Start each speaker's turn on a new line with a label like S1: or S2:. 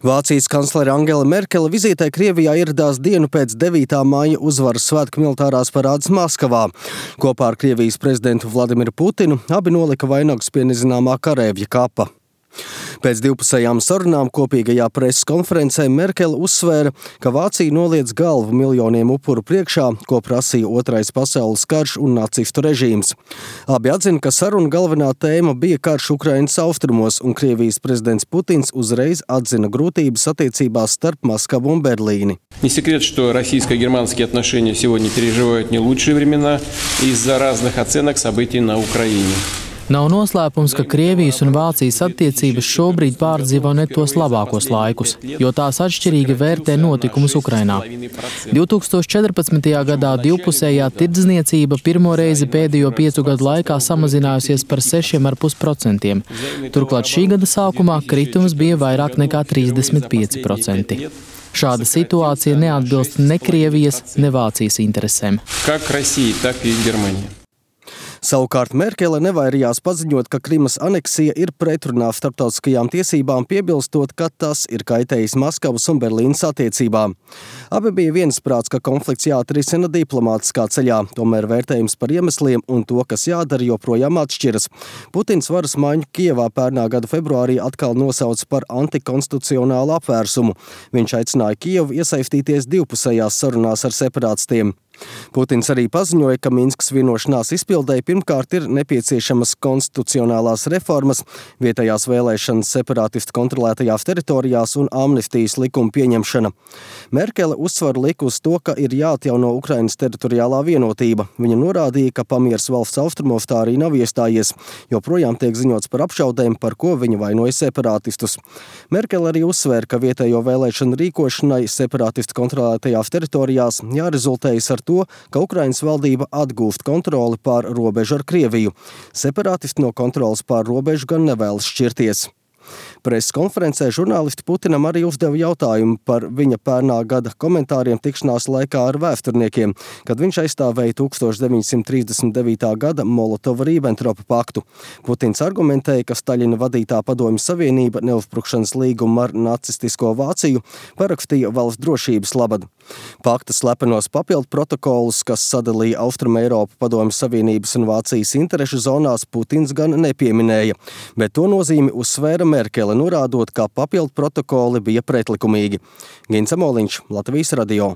S1: Vācijas kanclere Angela Merkele vizītē Krievijā ieradās dienu pēc 9. maija uzvaras svētku militārās parādes Maskavā. Kopā ar Krievijas prezidentu Vladimiru Putinu abi nolika vainagus pie nezināmā kareivja kapa. Pēc divpusējām sarunām kopīgajā preses konferencē Merkele uzsvēra, ka Vācija noliedz galvu miljoniem upuru priekšā, ko prasīja Otrais pasaules karš un nacistu režīms. Abi atzina, ka saruna galvenā tēma bija karš Ukrainas austrumos, un Krievijas prezidents Putins uzreiz atzina grūtības attiecībās starp Maskavu un Berlīni.
S2: Не секрет, что российско-германские отношения сегодня переживают не лучшие времена из-за разных оценок событий на Украине.
S3: Nav noslēpums, ka Krievijas un Vācijas attiecības šobrīd pārdzīvo ne tos labākos laikus, jo tās atšķirīgi vērtē notikumus Ukrainā. 2014. gadā divpusējā tirdzniecība pirmo reizi pēdējo 5 gadu laikā samazinājusies par 6,5%. Turklāt šī gada sākumā kritums bija vairāk nekā 35%. Šāda situācija neatbilst ne Krievijas, ne Vācijas interesēm.
S2: Как России, так и Германии.
S1: Savukārt Merkele nevairījās paziņot, ka Krimas aneksija ir pretrunā starptautiskajām tiesībām, piebilstot, ka tas ir kaitējis Maskavas un Berlīnas attiecībām. Abi bija viensprāts, ka konflikts jāatrisina diplomātiskā ceļā, tomēr vērtējums par iemesliem un to, kas jādara, joprojām atšķiras. Putins varas maiņu Kijevā pērnā gada februārī atkal nosauca par antikonstitucionālu apvērsumu. Viņš aicināja Kijevu iesaistīties divpusējās sarunās ar separātistiem. Putins arī paziņoja, ka Minskas vienošanās izpildēji pirmkārt ir nepieciešamas konstitucionālās reformas, vietējās vēlēšanas separātistu kontrolētajās teritorijās un amnestijas likuma pieņemšana. Merkele uzsvaru lika uz to, ka ir jāatjauno Ukrainas teritoriālā vienotība. Viņa norādīja, ka pamieris valsts austrumos tā arī nav iestājies, joprojām tiek ziņots par apšaudēm, par ko viņa vainoja separātistus. Merkele arī uzsvēra, ka vietējo vēlēšanu rīkošanai separātistu kontrolētajās teritorijās jārezultējas ar to, ka Ukrainas valdība atgūst kontroli pār robežu ar Krieviju. Separātisti no kontrolas pār robežu gan nevēlas šķirties. Preses konferencē žurnālisti Putinam arī uzdeva jautājumu par viņa pērnā gada komentāriem tikšanās laikā ar vēsturniekiem, kad viņš aizstāvēja 1939. gada Molotova-Rībentropa paktu. Putins argumentēja, ka Staļina vadītā Padomju Savienība neuzbrukšanas līgumu ar nacistisko Vāciju parakstīja valsts drošības labad. Pakta slepenos papildu protokolus, kas sadalīja Austrumu Eiropu Padomju Savienības un Vācijas interešu zonās, Putins gan nepieminēja, bet to nozīmi uzsvēra Merkele, norādot, ka papildu protokoli bija pretlikumīgi. Gins Amoliņš, Latvijas radio.